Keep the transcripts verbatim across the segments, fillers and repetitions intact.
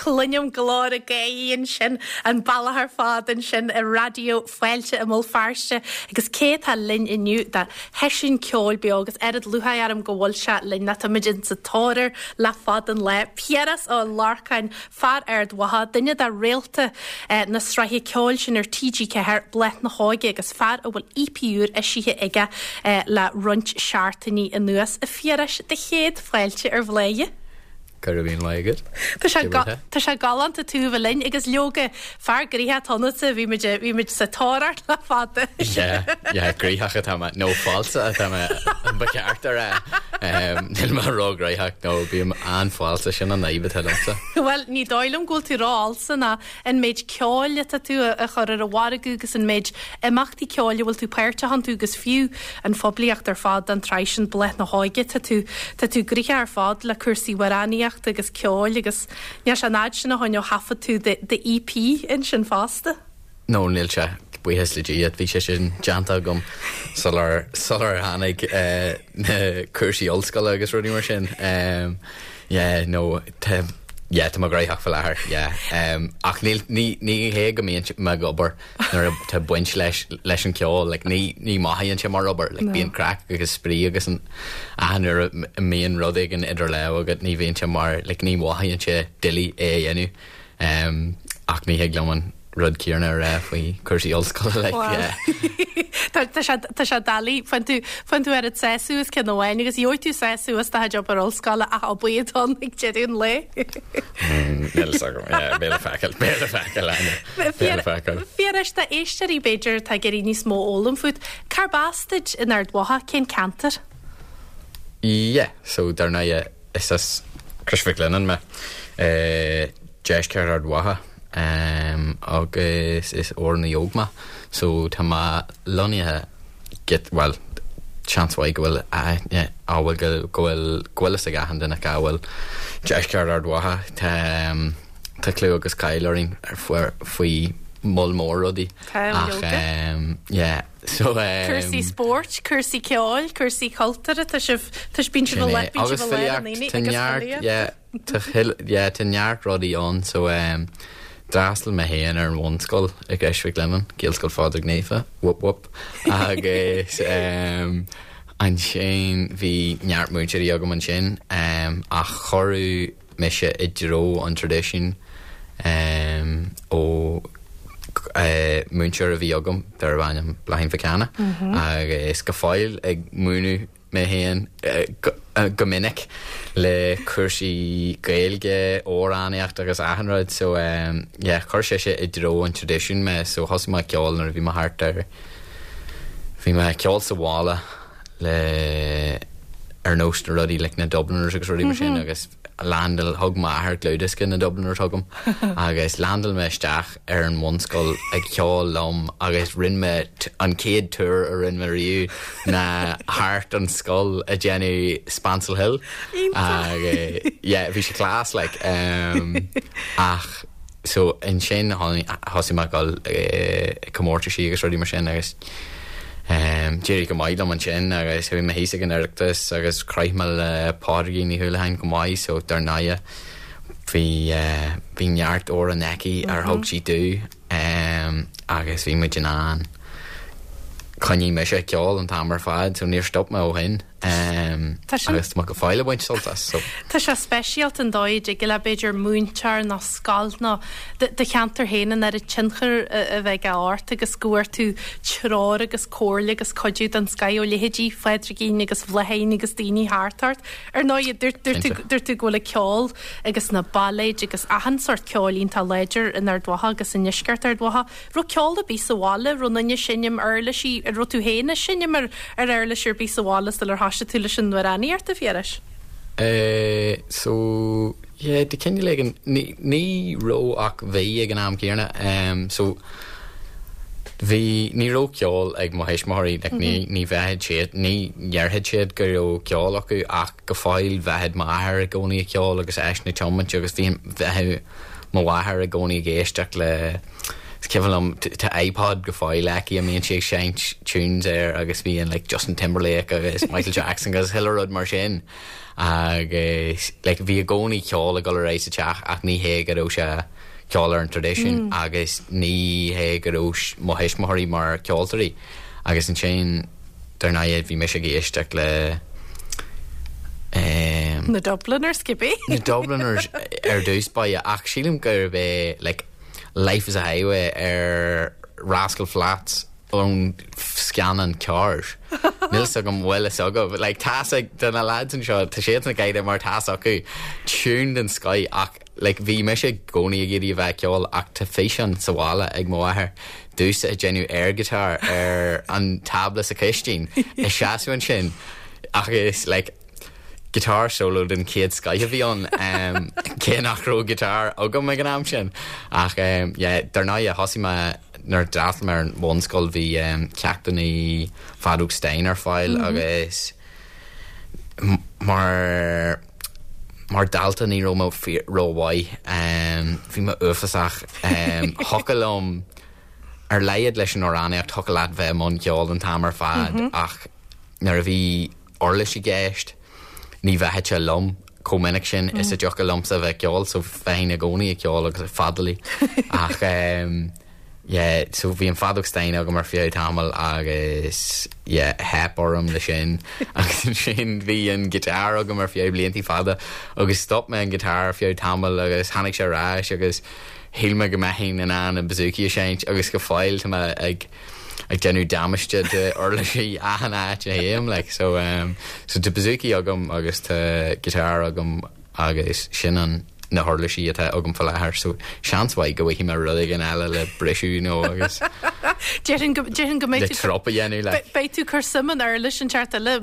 Cluinim glór na gaoithe ansin an bealach ar fad ansin i Raidió Fáilte i mBéal Feirste agus cé tá linn inniu do sheisiún ceoil beo agus oiread lúcháir orm go bhfuil sé linn na táimid sa tóir le fada an lá. Piaras Ó Lorcáin fear Ard Mhacha duine de réalta eh, na sraithe ceoil sin ar TG Ceathair Bláth na hÓige agus fear a bhfuil EP úr eisithe aige eh, le roinnt seachtainí anuas a Phiarais do chéad fáilte ar Bhladhaire. Go raibh míle maith agat. Tá sé galánta tú bheith linn agus leoga fear gnoitheach ionatsa bhí bhí muid sa tóir le fada. Gnoitheach atá nó falsa atá ba cheart a rá Níl mé róghnoitheach nó bím an-fhalsa sin an fhadhb atá liomsa. Well ní dóigh liom go bhfuil tú rófhalsa ná an méid ceoil atá tú a chur ar an mhargadh agus an méid imeachtaí ceoil bhfuil tú páirteach iontu agus fiú an phoiblíocht ar fad an tsraith sin Bláth na hÓige tá tú tá tú gnoitheach ar fad le cúrsaí amhránaíochta agus ceoil agus níl sé an fhad sin ó shin ó thaifead tú de EP ansin fosta. No níl sé buíochas le Dia bhí sé sin déanta agam sular sular tháinig eh, na cúrsaí ollscoile agus rudaí mar sin. Um, yeah, no te Yeah, tá mé gnóthach faoi láthair yeah. um, ach ní ní ní hé go mbíonn mé ag obair nuair tá baint leis leis an ceol like, ní ní mothaíonn sé mar obair like, no. bíonn craic agus spraoi agus an nuair a mbíonn rud éigin idir lámha agat ní bhíonn sé mar like, ní mothaíonn sé doiligh é a dhéanamh um, ach ní hig liom an rud céanna a rá faoi cúrsaí ollscoile like, yeah. Tá tá sé doiligh faigheann tú faigheann tú ar an sásamh as ceann amháin agus gheobhaidh tú sásamh as do obair ollscoile ach obair an ag deireadh an lae. Níl béle fecail béle fecail béle fecail. Phiarais do éisteoirí b'fhéidir tá ag iarraidh níos mó a fhoghlaim fút, Cárb as duit in Ard Mhacha cén ceantar? Yeah, so dar ndóigh is as Crois Mhic Lionnáin mé eh, deisceart Ard Mhacha um, agus is amhránaí óg mé so tá mé lonnaithe get well seans mhaith go bhfuil aithne bhfuil go go bhfuil go bhfuil ag achan duine cá bhfuil deisceart Ard Mhacha tá um, tá clú agus cáil orainn ar faoi moll mór rudaí Tá, ach leoga. um, yeah so um, Cúrsaí spóirt, cúrsaí ceoil, cúrsaí cultúrtha tá sibh tá bíonn sibh Sin é. le agus filíocht tá neart yeah, tá hill- yeah, tá neart rudaí ann so um, d'fhreastail mé féin ar an bhunscoil i gCrois Mhic Lionnáin, Gaelscoil Phádraig Naofa whoop whoop agus um, ansin bhí neart múinteoirí agam ansin um, ach cuireadh mise i dtreo an traidisiúin um, ó uh, múinteoir a bhí agam darbh ainm Bláithín Mhic Anna agus go fóill ag múineadh mé féin eh, go, eh, go minic le cúrsaí Gaeilge amhránaíocht agus achan rud so um, yeah, chuir sé sé i dtreo an traidisiúin mé so thosaigh mé ceol nuair a bhí mé thart ar bhí mé ceol sa bhaile le ar nós na rudaí like na Dubliners agus rudaí mar sin agus landáil thug m'athair dlúthdhiosca na Dubliners chugam agus landáil mé isteach ar an mbunscoil ag ceol liom agus rinne mé an chéad tour a rinne mé riamh ná thart an scoil ag déanamh Spancil Hill agus yeah, bhí sé class like um, ach so ansin thosaigh mé dul comórtaisí agus rudaí mar sin agus Um, D'éirigh go maith liom ansin agus bhí mé thíos ag an Oireachtas agus chroith mé le Pádraigín Ní Houlihan go maith so dar ndóigh bhí uh, bhí neart amhrán aici ar thug sí domh um, agus bhí muid in ann coinní mise ceol an t-am ar fad so níor stop mé ó shin um, Tá sin- agus go fóill ag baint sult as so. Tá sé speisialta an dóigh go le b'fhéidir múinteoir nó scoil nó do cheantar féin an ar a tionchar a bheith ort agus go bhfuair tú treoir agus comhairle agus cuidiú den scoth ó leithéidí Phádraigín agus Bhláithín agus daoine thart ort. Ar ndóigh dúirt tú go bhfuil ceol agus na bailéid agus achan sórt ceoil iontach láidir in Ard Mhacha agus i ndeisceart Ard Mhacha. Raibh ceol ar bith sa bhaile raibh duine ag seinm uirlisí ar raibh tú féin ag seinm ar ar uirlis ar bith sa bhaile ar thosaigh tú leis an amhránaíocht a Phiarais? Uh, so yeah, de cineál éigin ní ní raibh ach bhí ag an am céanna um, so bhí ní raibh ceol ag mo thuismitheoirí like, ní ní bheadh siad ní dhéarfadh siad go raibh ceol acu ach go fóill bheadh m'athair i gcónaí ag ceol agus eisean ag tiomáint agus bhí bheadh mo mháthair i gcónaí ag éisteacht le Is cuimhin liom tá iPod go fóill aici a mbíonn sí ag seinnt tunes air agus bíonn like Justin Timberlake agus Michael Jackson agus chuile rud mar sin agus like bhí i gcónaí ceol ag dul ar aghaidh sa teach ach ní hé go raibh sé ceol ar an traidisiún agus ní hé go raibh mo thuismitheoirí mar ceoltóirí agus ansin dar ndóigh bhí mise ag éisteacht le um, Na Dubliners cibé. na Dubliners ar dtús báire ach sílim gurb é like Life is a Highway ar Rascal Flatts ón scannán Cars. Níl agam bhfuil fhios agaibh like tá ag de na lads anseo tá siad na gaide mar tá acu tune den scoth ach like bhí mise i gcónaí ag iarraidh a bheith ceol ach tá físeán sa bhaile ag mo mháthair domsa ag déanamh air guitar ar an tábla sa chistin ag seasamh ansin agus like guitar solo den chéad scoth a bhí ann um, cé nach raibh guitar agam ag an am sin ach um, yeah, dar ndóigh thosaigh mé nuair a d'fhreastail mé ar an bhunscoil bhí um, ceachtanna feadóg stáin ar fáil mm -hmm. agus m- mar mar dalta ní raibh mé rómhaith um, bhí mé uafásach um, thiocfadh liom ar laghad leis an amhránaíocht thiocfadh leat bheith i mbun ceoil an t-am ar fad mm -hmm. ach nuair a bhí uirlis i gceist ní bheadh sé liom chomh minic sin mm. is a dtiocfadh liomsa bheith ceol so bheinn i gcónaí ag ceol agus ag feadaíl ach um, yeah, so bhí an feadóg stáin agam ar feadh tamall agus yeah, theip orm le sin agus ansin bhí an guitar agam ar feadh blianta fada agus stop mé an guitar ar feadh tamall agus tháinig sé ar ais agus shíl mé go mbeinn in ann an bouzouki a seinnt agus go fóill tá mé ag ag déanamh damáiste d'uirlisí achan áit a théim like so um, so tá bouzouki agam agus tá guitar agam agus sin an na huirlisí atá agam faoi láthair so seans mhaith go bhfaighidh mé rud éigin eile le briseadh nó agus Déarfainn go déarfainn go mbeidh le tú trup a dhéanamh le Be- Beidh tú cur suim in uirlis an teart eile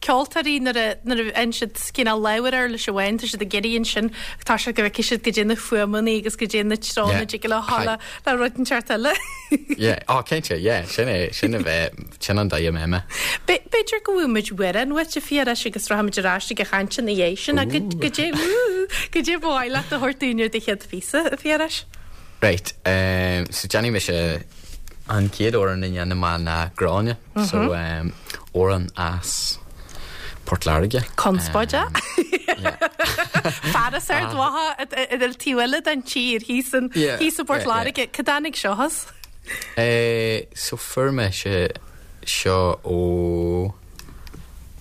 ceoltóirí nuair a nuair a fhaigheann siad cineál leabhar uirlis amháin tá siad ag iarraidh ansin tá sé go bhfeicfidh siad go dté na fuaimeanna agus go dté na treonna Yeah. dtig le le le rud an teart eile. yeah oh cinnte yeah sin é sin a bheith sin an dóigh a mbeidh mé Be- B'fhéidir go bhfuil amhrán uait a Phiarais agus rachaimid ar ais ag an chaint ina dhiaidh sin go go dé go dé bhhaile a thuirt daoine de chéad phíosa a Phiarais. Right um, so déanfaidh mise an chéad amhrán a dhéanfaidh mé ná Gráinne so um, amhrán as Port Láirge Conspóide? Um, yeah. Fearas ar dháth idir tíhile den tír hí an Yeah, hí sa Port yeah, yeah. Láirge Cá dtáinig seo as? Eh, so fuair mé sé seo ó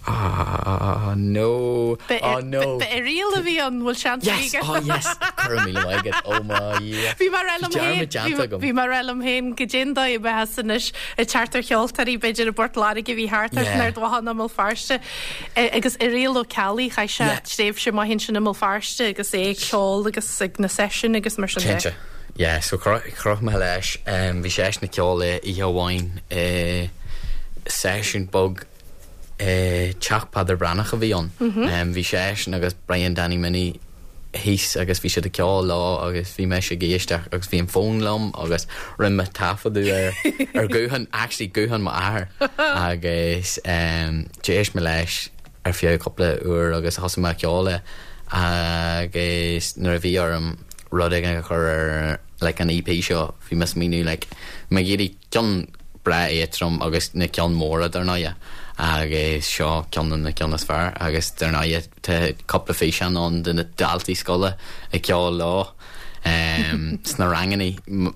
ah no oh no Irial a bhí an bhfuil sean yes oh yes Chuir mí like it oh my yeah Bhí mar elam Dearmad déanta agam. Bhí mar elam héin go déndá beha inis i teartar cheoltarí beidir a Bport Láirge bhí thart Yeah. ar dhána mó Feirste agus Irial Ó Ceallaigh chaith sé Yeah. tréimhse maith sin i mBéal Feirste agus é ag ceol agus ag na seisiúin agus mar sin de. Cinnte. Yeah, so chroch mé leis um, bhí sé na ceol oíche amháin uh, seisiún beag uh, teach Peadar Breathnach a bhí ann. Um, bhí sé agus Brian Danny Minnie thíos agus bhí siad ag ceol lá agus bhí mé ag éisteacht agus bhí an fón liom agus rinne mé taifeadadh ar ar guthán actually guthán m'athair agus um, d'éist mé leis ar feadh cúpla uair agus thosaigh mé ceol agus nuair a bhí orm rud éigin a chur ar like an EP seo bhí mé ag smaoineamh like mé ag iarraidh ceann breá éadrom agus na ceann móra dar ndóigh agus seo ceann de na ceann is fearr agus dar ndóigh tá cúpla físeán ann de na daltaí scoile ag ceol leo um, sna ranganna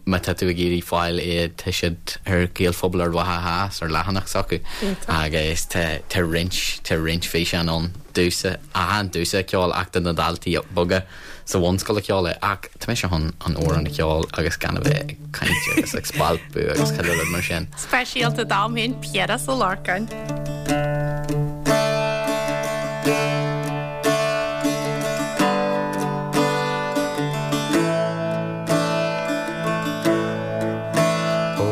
má tá tú ag iarraidh fáil iad tá siad ar Gaelphobal Ard Mhacha Theas ar leathanach s'acu agus tá tá roinnt tá roinnt físeán ann domsa an domsa ceol ach de na daltaí beaga sa bhunscoil ag ceol é ach tá mé chun an amhrán a cheol agus gan a bheith ag caint agus ag spalpadh agus chuile rud mar sin. Speisialta dom féin Piaras Ó Lorcáin. Ó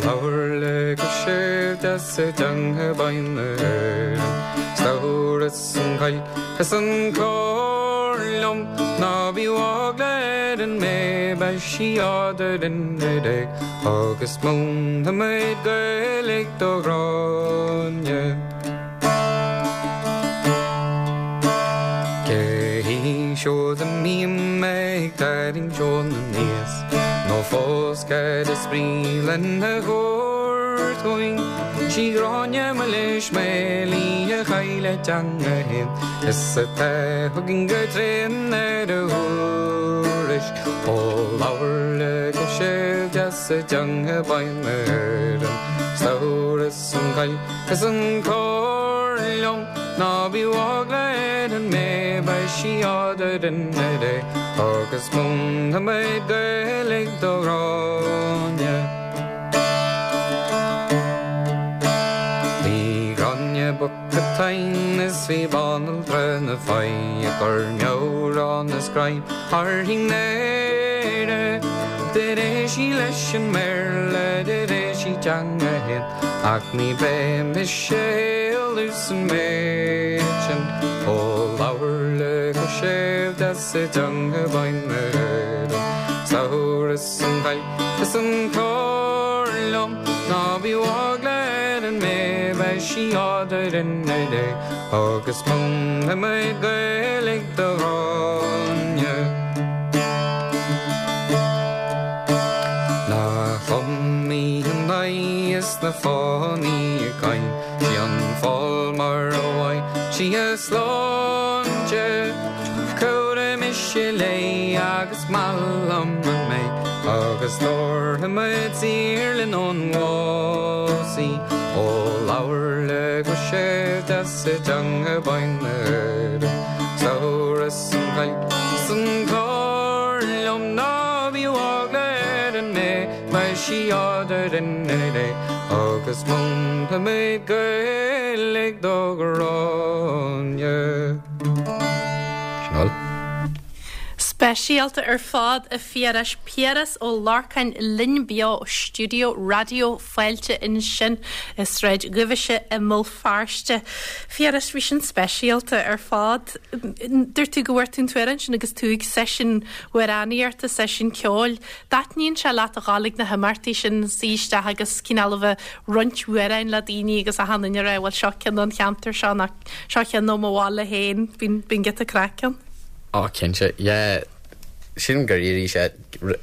labhair le go séimh deas i dteanga binn na hÉireann Stabhras an chaoi is an clár liom ná bí ágléir an mé be siadar in dé agus múinfidh muid Gaeilge do Ghráinne. Cé hí siúd a mbím ag ag tarraingt ón aníos Nó fós cad is brí lena thabhairt chugainn Sí Gráinne Milis Maol í a chaill a teanga fhéin Is atá chugainn go tréan ar a thuairisc Ó labhair le go séimh deas i dteanga binn na hÉireann Slabhra is an choill is an clár liom Ná bíodh eagla ar an mbéith beidh sí eadrainn ar deireadh Agus múinfimid Gaeilge do Ghráinne. Bhí Gráinne bocht go tinn is bhí banaltra na faí ag cur meabhrán is greim uirthi n'aire. Do rith sí leis an mBéarla, do rith sí teanga fhéin, ach ní bheidh mise éalú san méid sin. Ó labhair le go séimh deas i dteanga binn na hÉireann, Slabhra is an choill is an clár liom, ná bíodh eagla ar an mbéith, beidh sí eadrainn ar deireadh, agus múinfimid Gaeilge do Ghráinne. Na chumí an aghaidh is na fánaí ag caint, sí an fál mar a bhfaigh sí a sláinte. Cabhróidh mise léi agus maith liom an méid, agus tabharfaimid saor linn ón bhás í. Ó labhair le go séimh deas i dteanga binn na hÉireann, Slabhra is an choill is an clár liom, ná bíodh eagla ar an mbéith, beidh sí eadrainn ar deireadh, agus múinfimid Gaeilge do Ghráinne. Sin all. Speisialta ar fad a Phiarais Piaras Ó Lorcáin linn beo ó stiúideo Raidió Fáilte ansin i Sráid Dhubhais i mBéal Feirste. Phiarais bhí sin speisialta ar fad. Dúirt tú go bhfuair tú an t-amhrán sin agus tú ag seisiún amhránaíochta, seisiún ceoil. Dtaitníonn sé leat a ghabháil ag na himeachtaí sin suí isteach agus cineál a bheith roinnt amhráin le daoine agus achan duine a rá bhuel seo ceann ón cheantar seo nó seo ceann ó mo bhaile féin, bíonn bíonn giota craic ann. Ó cinnte, yeah, sílim gur éirigh sé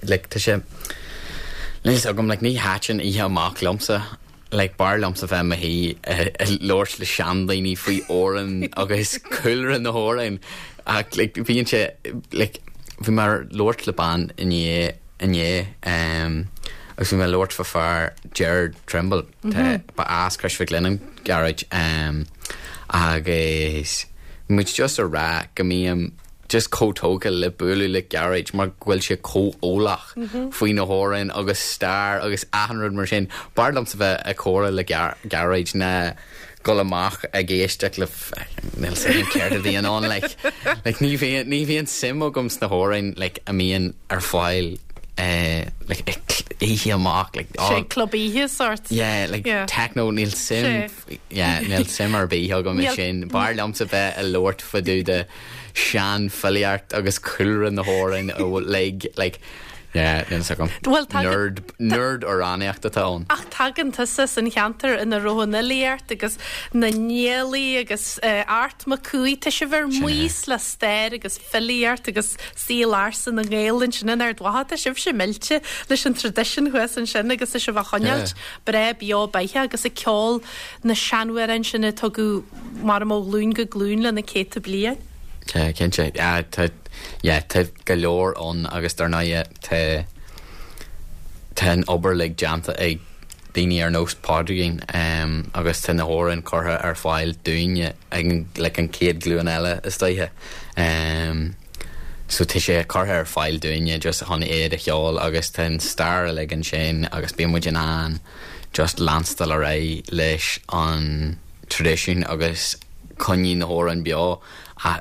like, tá sé níl fhios agam like, ní thaitin oíche amach liomsa like, b'fhearr liomsa bheith i mo shuí ag labhairt le seandaoine faoi amhráin agus cúlra na hamhráin ach like, bíonn sé like, bhí mé ag labhairt le bean inné inné um, agus bhí mé ag labhairt fá fear Gerard Trimble mm -hmm. ba as Crois Mhic Lionnáin Gearóid um, agus muid just a rá go mbím just chomh tógtha le bualadh le Gearóid mar go bhfuil sé chomh eolach mm -hmm. faoi na hamhráin agus stair agus achan rud mar sin. B'fhearr liomsa bheith ag comhrá le Gearóid ná dul amach ag éisteacht le níl fhios agam céard a bhíonn ann like, like, ní bhíonn ní bhíonn suim agam sna hamhráin like, a mbíonn ar fáil uh, like, oíche amach like, Sé oh, club oíche sort. Yeah, like yeah. techno níl suim yeah, níl suim ar bith agam i sin. B'fhearr liomsa bheith ag labhairt fá dtaobh de seanfhilíocht agus cúlra na hamhráin like like yeah, níl fhios agam. Well, nerd nerd amhránaíocht atá ann. Ach tagann tusa as an cheantar ina raibh an fhilíocht agus na Niallaigh agus uh, Art Mac Cumhaigh tá sibh ar maos le stair agus filíocht agus saol ársa na nGael ansin in Ard Mhacha tá sibhse millte leis an traidisiún thuas ansin agus tá sibh á choinneáilt breá beo beatha agus ag ceol na seanamhráin sin a tugadh mar ó ghlúin go glúin le na céadta bliain. Cinnte tá tá go leor ann agus dar ndóigh tá tá an obair like déanta ag daoine ar nós Pádraigín um, agus tá na hamhráin curtha ar fáil dúinne ag like, an chéad ghlúin eile is dóiche. Um, so tá sé curtha ar fáil dúinne just chun iad a cheol agus tá an stair like ansin agus bíonn muid in ann just leanstáil ar aghaidh leis an traidisiún agus coinneáil na hamhráin beo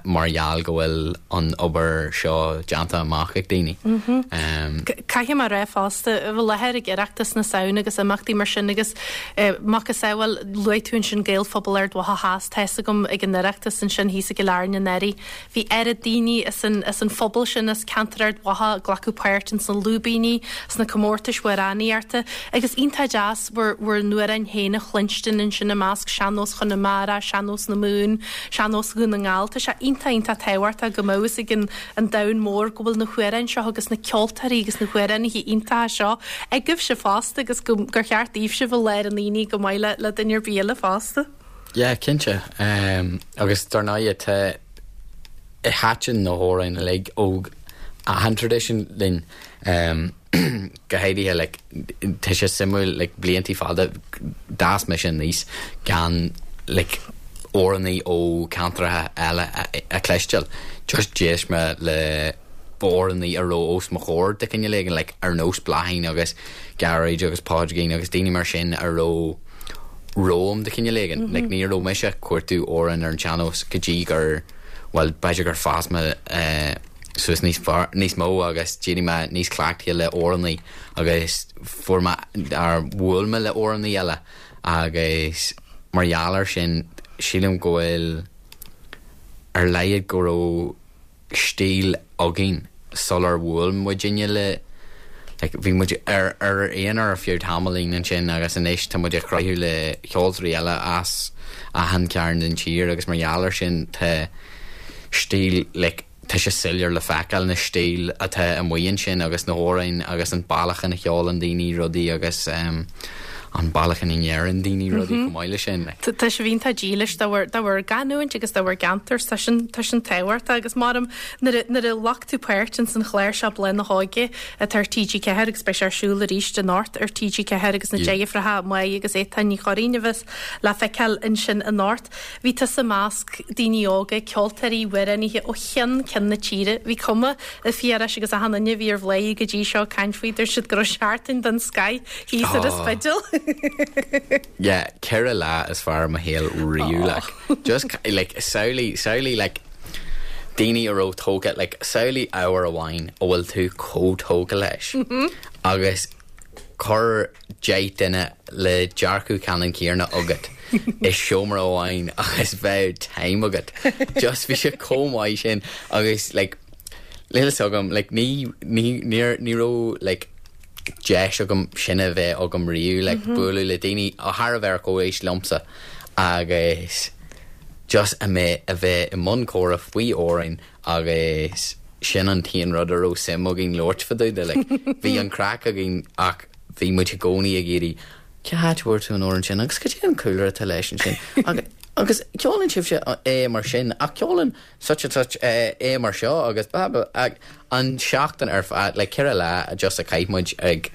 mar gheall go bhfuil an obair seo déanta amach ag daoine. Mm-hmm. Caithfidh mé a rá fosta bhí láthair ag Oireachtas na Samhna agus imeachtaí mar sin agus macasamhail luaigh tú ansin Gaelphobal Ard Mhacha Theas tá fhios agam ag an Oireachtas ansin thíos i gCill Airne anuraidh. Bhí oiread daoine as an, as an phobal sin as ceantar Ard Mhacha ag glacadh páirt ins na lúibíní sna comórtais amhránaíochta agus iontach deas bhur bhur n-amhráin féin a chluinstin ansin i measc sean-nós Chonamara, sean-nós na Mumhan, sean-nós Dhún na nGall. Tá sé sé iontach iontach tábhachtach go mbeadh fhios ag an an domhan mór go bhfuil na hamhráin seo agus na ceoltóirí agus na hamhránaithe iontacha seo agaibhse fosta agus go gur cheart daoibhse bheith i lár an aonaigh go maith le le duine ar bith eile fosta. Yeah, cinnte. Um, agus dar ndóigh tá thaitin na hamhráin uilig ó achan tradition linn um, go háirithe like, tá sé suimiúil like, blianta fada d'fhás mise aníos gan like, amhránaí ó ceantracha eile a, a chloisteáil. Just d'éist mé le amhránaí a raibh os mo chomhair de chineál éigin like, ar nós Bláithín agus Gearóid agus Pádraigín agus daoine mar sin a raibh romham de chineál éigin. Mm -hmm. like, ní raibh mise ag cuartú amhrán ar an sean-nós go dtí gur well b'fhéidir gur fás mé uh, suas níos fearr níos mó agus d'éirigh mé níos cleachtaithe le amhránaí agus fuair mé ar bhuail mé le amhránaí eile agus mar gheall air sin sílim go bhfuil ar laghad go raibh stíl againn sular bhuail muidinne le like, bhí muid ar ar aon ar feadh tamaillín ansin agus anois tá muid ag cruthú le ceoltóirí eile as achan chearn den tír agus mar gheall air sin tá stíl like, tá sé soiléir le feiceáil na stíl atá amuigh ansin agus na hamhráin agus an bealach ina cheolann daoine rudaí agus um, an bealach ina ndeireann daoine rudaí chomh maith leis sin. Tá sibh iontach dílis dá bhur dá bhur gcanúint agus dá bhur gceantar tá sin tá sin tábhachtach agus maram nuair a nuair a ghlac tú páirt in san chlár seo Bláth na hÓige atá ar TG Ceathair agus beidh sé ar siúl arís anocht ar TG Ceathair agus na deirfiúracha Maigh agus Étáin Ní Churraoin a bheas le feiceáil ansin anocht. Bhí tusa i measc daoine óga, ceoltóirí, amhránaithe ó cheann ceann na tíre. Bhí cuma ar Phiarais agus achan duine a bhí ar Bhláth go dtí seo caint faoi dúirt siad go raibh seachtain den scoth thíos ar an Spidéal. Yeah, ceithre lá is fearr mo shaol riamh like just like samhlaigh samhlaigh like daoine a raibh tógtha like samhlaigh ábhar amháin a bhfuil tú chomh tógtha leis agus cuir deich duine le dearcadh ceannann céanna agat i seomra amháin agus bheith time agat just bhí sé chomh maith sin agus like níl a fhios agam like ní ní ní ní raibh like deis agam sin a bheith agam riamh like bualadh le daoine a thar a bheith ar comhaois liomsa agus just a mé a bheith i mbun comhrá faoi amhráin agus sin an t-aon rud a raibh suim againn labhairt fá dtaobh de like bhí an craic againn ach bhí muid i gcónaí ag iarraidh cá háit a bhfuair tú an amhrán sin agus cad é an cúlra atá leis ansin agus agus ceolann sibhse é mar sin ach ceolann such and such é é mar seo agus ba ba ag an seachtain ar fad le ceithre lá just a chaith muid ag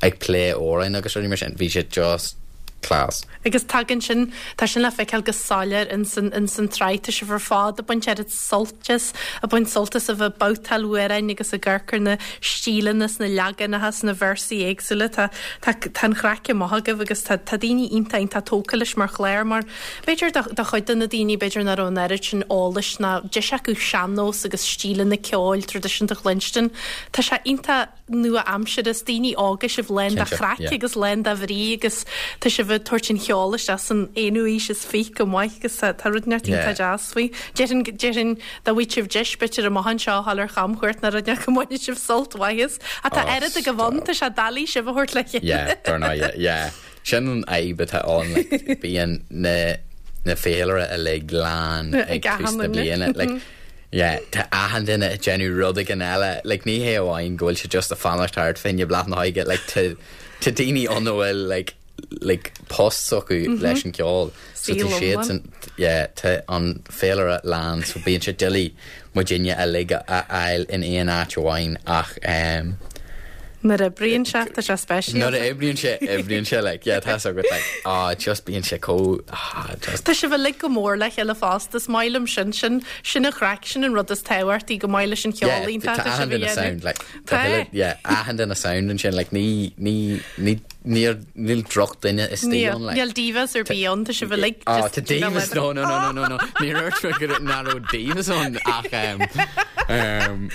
ag plé amhráin agus rudaí mar sin bhí sé just class. Agus tagann sin tá sin le feiceáil go soiléir in san in san tsraith tá sibh ar fad ag baint oiread sult as ag baint sult as a bheith babhtáil amhráin agus ag amharc ar na stíleanna sna leaganacha sna véarsaí éagsúla tá tá tá an chraic maith agaibh agus tá tá daoine iontach iontach tógtha leis mar chlár mar b'fhéidir do do chuid de na daoine b'fhéidir nach raibh an oiread sin eolais ná deis acu sean-nós agus stíleanna ceoil traidisiúnta a chluinstin. Tá sé iontach nua-aimseartha is daoine óga sibh lán de Cinnte, chraic yeah. agus lán de bhrí agus tá sibh ag tabhairt an cheoil isteach san aonú haois is fiche go maith agus tá tá rud neart Yeah. iontach deas faoi. Déarfainn déarfainn dá bhfaigheadh sibh deis b'fhéidir amach anseo thall ar chamchuairt ná rud go mbainfidh sibh sult mhaith as. Ach tá Oh, oiread agaibh ann, tá sé doiligh sibh a thabhairt le chéile. Yeah, dar ndóigh, yeah, yeah. Sin an fhadhb atá ann like, bíonn na na féilire uilig lán ag Ag tús achan na duine. bliana like yeah, tá achan duine ag déanamh rud éigin eile like ní hé amháin go bhfuil sé just ag fanacht thart fá choinne Bláth na hÓige like tá tá daoine ann a bhfuil like like post acu leis an ceol so tá Saol siad iomlán. san yeah, tá an féilire lán so bíonn sé doiligh muidinne uilig a a fháil in aon áit amháin ach um, Nuair a oibríonn sé tá sé speisialta. Nuair a oibríonn sé oibríonn sé like yeah tá agat like ah just bíonn sé chomh ah just Tá sibh uilig go mór le chéile fosta is maith liom sin sin sin an chraic sin an rud is tábhachtaí go maith leis an yeah, cheol tá tá achan duine sound like Tá. tá uile- yeah achan duine sound ansin like ní ní ní níl níl drochdhuine istigh ann like Níl divas ar bith ann tá sibh uilig Oh, just tá divas no no no no no no ní dúirt mé go nach raibh divas ann ach um, um,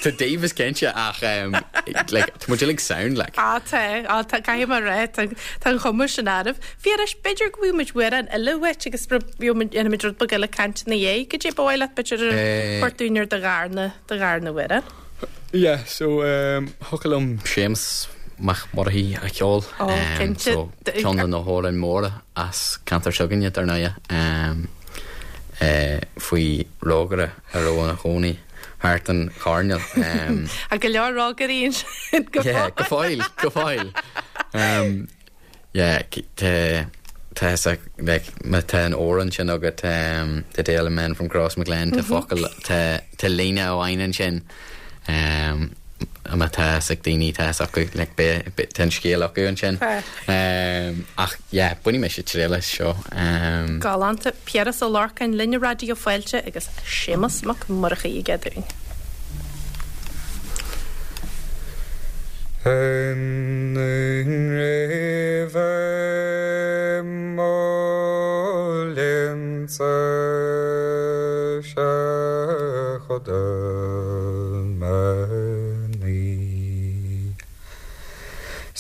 tá divas cinnte ach um, like tá muid uilig sound like Á tá á tá caithfidh mé rá tá tá an chuma sin oraibh. Phiarais b'fhéidir go bhfuil muid amhrán eile uait agus muid rud beag eile caint ina dhiaidh go dtí ba mhaith leat b'fhéidir Eh. portúin ar do dharna do dharna amhrán. Yeah, so um, thiocfadh liom Séamus Mac Murchaidh a cheol Ó, cinnte. so ceann de na hamhráin móra as ceantar s'againne dar ndóigh um, Faoi rógaire a raibh ina chónaí thart an choirnéal. Tá go leor rógairí ansin go Yeah, go fóill, go fóill. Um, yeah, tá tá like, má tá an amhrán sin agat um, The Tale of Men from Crossmaglen tá focal tá tá líne amháin ansin um, má tá ag daoine tá acu like, tá an scéal acu ansin. Um, ach yeah, bainfidh mise triail as seo. Um, Galánta Piaras Ó Lorcáin linn ar Raidió Fáilte agus Séamus Mac Murchaidh aige dúinn.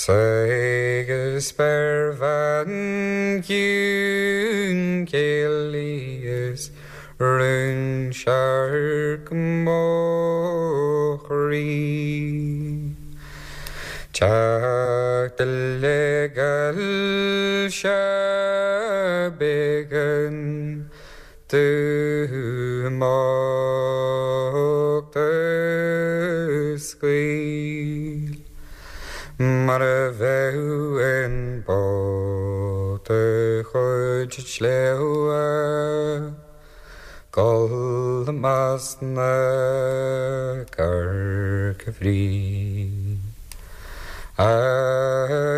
Agus spéirbhean chiúin céilí is rún searc mo chroí. Teacht uilig se b'éigean dom imeacht a scaoil. Mar a bheadh in bád ar chuid sléibhe Gol amach na Corca-Bhrí. A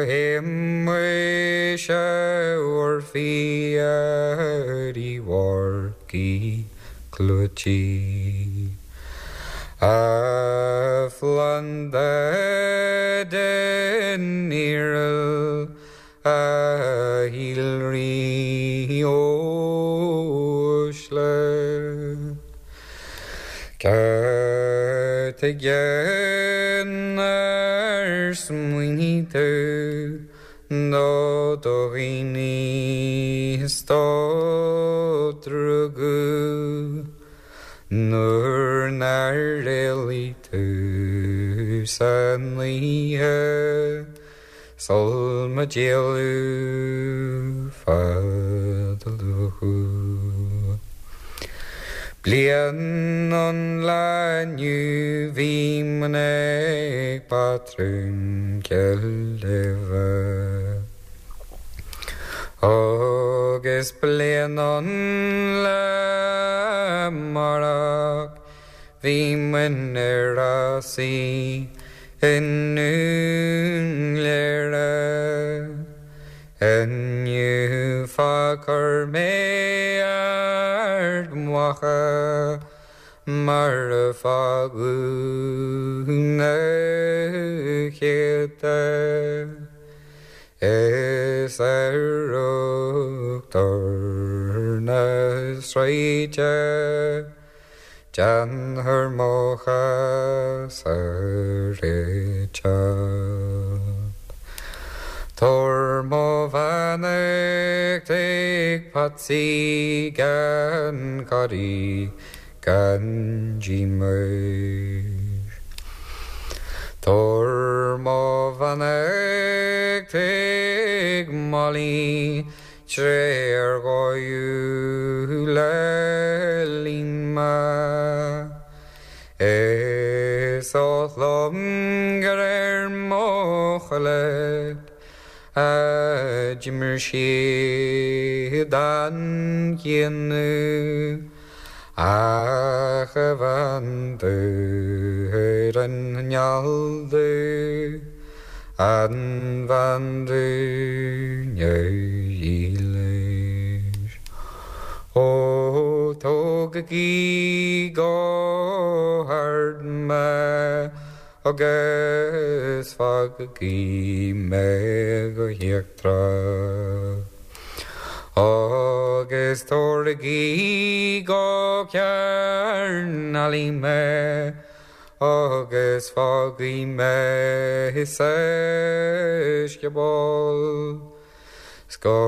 imigh sé bhur bhfíor i bPáirc Uí Chluaití. A phlanda den iarla a shíolraigh uaisle. Cad chuige nár smaoinigh tú do do dhaoine is do rugadh nuair nár éalaigh tú san oíche sul má díoladh fada luath. Bliain ón lá inniu bhí muid ag patrún Chill Uibhe. Agus bliain ón lá amárach bhí muid ar rásaí i nDún Léire. Inniu fá chuir mé Ard Mhacha mar a fágadh na céadta. Is ar uachtar na sráide déanfar mo chás a réiteach. Tabhair mo bheannacht ag Patsy gan corraí gan díomua. Tabhair mo bheannacht ag Molly tré ar dhóigh le linn mé. Is oth liom gur ar mo cholait a d'imir siad an cinneadh ach a bhean dubh ar an ngeal dubh, an bhean dubh neamhdhílis. Ó tógaigí go hard mé agus fágaigí mé go híochtarach. Agus tabhraigí go Cearn Fhailí mé agus fágaigí mé sa scioból. 'S go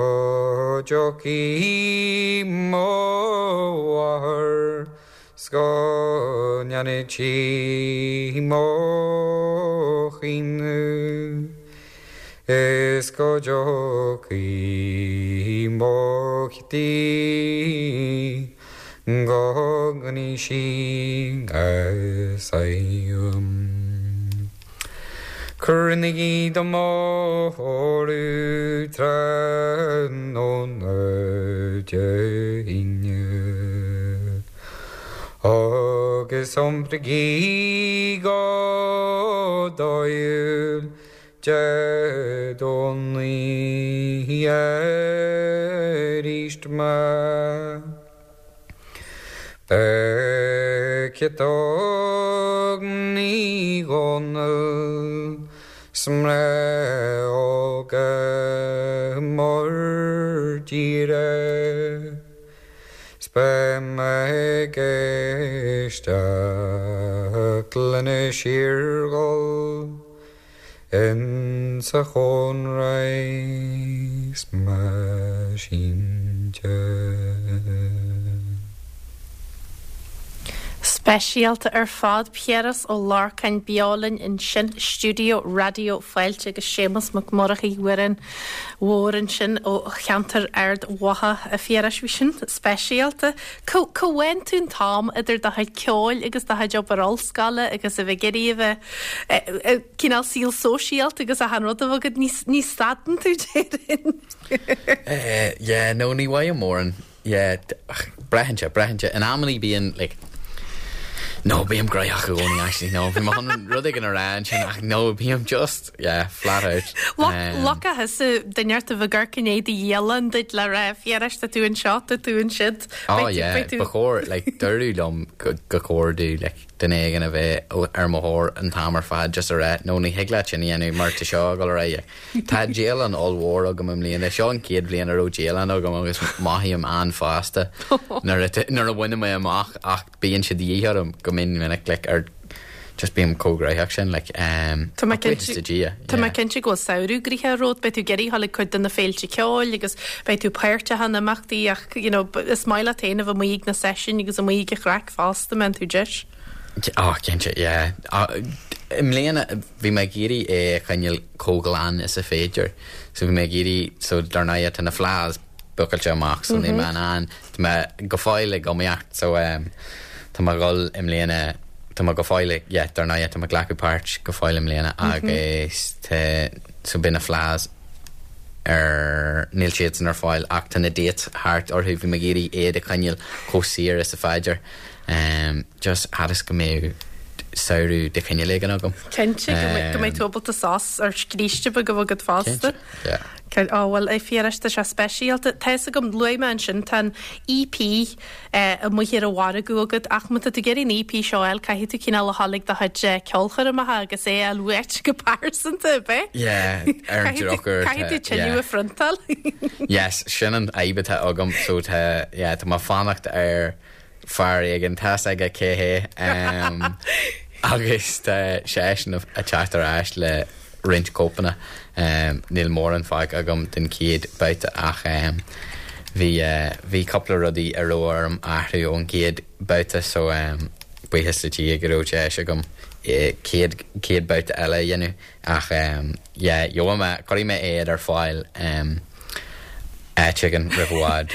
dtiocfaidh mo mháthair 's go ndéanfaidh sí mo chaoineadh. Is go dtiocfaidh mo Chití 你心爱塞 Cruinnigí do mhóradh tráthnóna Dé hAoine Agus iompraigí go dáil Dé Domhnaigh arís mé. Beidh Ciotóg Ní Dhomhnaill 's mná óga mór tíre 's beidh mé ag éisteacht lena síorghol insa chónra 's mé sínte. Speisialta ar fad, Piaras Ó Lorcáin beo linn ansin i stiúideo Raidió Fáilte agus Séamus Mac Murchaidh amhrán mhór ansin ó cheantar Ard Mhacha. A Phiarais, bhí sin speisialta. Cá bhfaigheann tú an t-am idir do chuid ceoil agus do chuid obair ollscoile agus a bheith ag iarraidh a bheith cineál saol sóisialta agus achan rud a bheith agat, ní stadann tú déarfainn. Yeah, no, ní bhfaighim mórán. Yeah, braitheann sé, braitheann sé. In amannaí bíonn, like, no, bím gnóthach i gcónaí actually, no, bhí mé chun rud éigin a rá ansin ach no, bím just, yeah, flat out. Loca thusa duine ort a bheith ag amharc i ndiaidh do dhialann duit le rá, Phiarais, tá tú anseo, tá tú ansiúd. Oh yeah, ba chóir, like, dúradh liom go go chóir domh, like, duine éigin a bheith ar mo thóir an t-am ar fad just a rá, no, ní thig leat sin a dhéanamh mar tá seo ag dul ar aghaidh. Tá dialann ollmhór agam i mbliana, seo an chéad bhliain a raibh dialann agam agus mothaím an-fhásta nuair a nuair a bhainim é amach ach bíonn sé de dhíth orm go mion minic like ar just bím chomh gnóthach sin like um Tá mé ach buíochas cinnte do Dhia, Tá mé yeah. cinnte go bhfuil samhradh gnoitheach romhat, beidh tú ag iarraidh a dhul ag cuid de na féilte ceoil agus beidh tú páirteach in imeachtaí ach you know is maith leat féin a bheith amuigh ag na seisiúin agus amuigh ag an chraic fosta má bhíonn tú deis. Oh, cinnte, yeah. I mbliana bhí mé ag iarraidh é a choinneáil chomh glan is a féidir. So bhí mé ag iarraidh, so dar ndóigh tá na fleadhs buailte amach, so níl mé in ann, tá mé go fóill ag iomaíocht, so um, tá mé ag dul i mbliana, tá mé go fóill ag, yeah, dar ndóigh tá mé ag glacadh páirt go fóill i mbliana agus tá, so beidh na fleadhs ar, níl siadsan ar fáil ach tá na dates thart orthu, bhí mé ag iarraidh iad a choinneáil chomh saor is a féidir. Um, just agus go mbeidh samhradh de chineál éigin agam. Cinnte go mbeidh go mbeidh tú ábalta sos ar scríste beag a bheith agat fosta. Cinnte, yeah. Cel- Ó bhuel a Phiarais tá sé speisialta. Tá fhios agam luaigh mé ansin tá an EP eh, amuigh ar an mhargadh agat ach má tá tú ag iarraidh an EP seo a fháil caithfidh tú cineál a dhul ag do chuid eh, ceolchoirmeacha agus é a fháil uait go pearsanta, ab é? Yeah, ar an Caithfidh tú- drochuair Caithfidh tú tá- tuilleadh yeah. a phriontáil. Yes, sin an fhadhb atá agam so tá yeah, tá mé ag fanacht ar fear éigin tá fhios aige cé hé um, agus tá seisean ag teacht ar ais le roinnt cóipeanna um, níl mórán fágtha agam den chéad babhta ach um, bhí uh, bhí cúpla rudaí a raibh orm athrú ón gcéad babhta so um, buíochas le Dia go raibh deis agam eh, céad céad babhta eile a dhéanamh ach um, yeah, gheobhaidh mé cuirfidh mé iad ar fáil um, áit éigin roimh i bhfad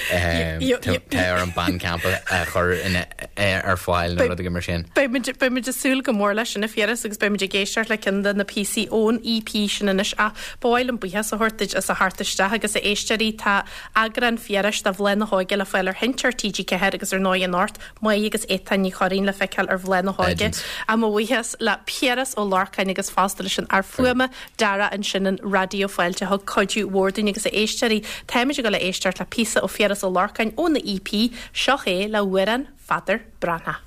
tá ar an Bandcamp a chur ina ar fáil nó rud mar sin. Beidh muid ag súil go mór leis sin a Phiarais agus beidh muid ag éisteacht le ceann de na píosaí ón EP sin anois ach ba mhaith liom buíochas a thabhairt duit as a theacht isteach agus a éisteoirí tá eagrán Phiarais de Bhláth na hÓige le fáil ar Sheinnteoir TG Ceathair agus ar ndóigh anocht Maigh agus Étáin Ní Churraoin le feiceáil ar Bhláth na hÓige. Legends. A mo bhuíochas le Piaras Ó Lorcáin agus fosta leis an fhear fuaime Dara ansin in Raidió Fáilte thug cuidiú mhór dúinn agus a éisteoirí táimid ag dul a éisteacht le píosa ó Phiaras Ó Lorcáin óna EP seo é le Amhrán Pheadair Breathnach.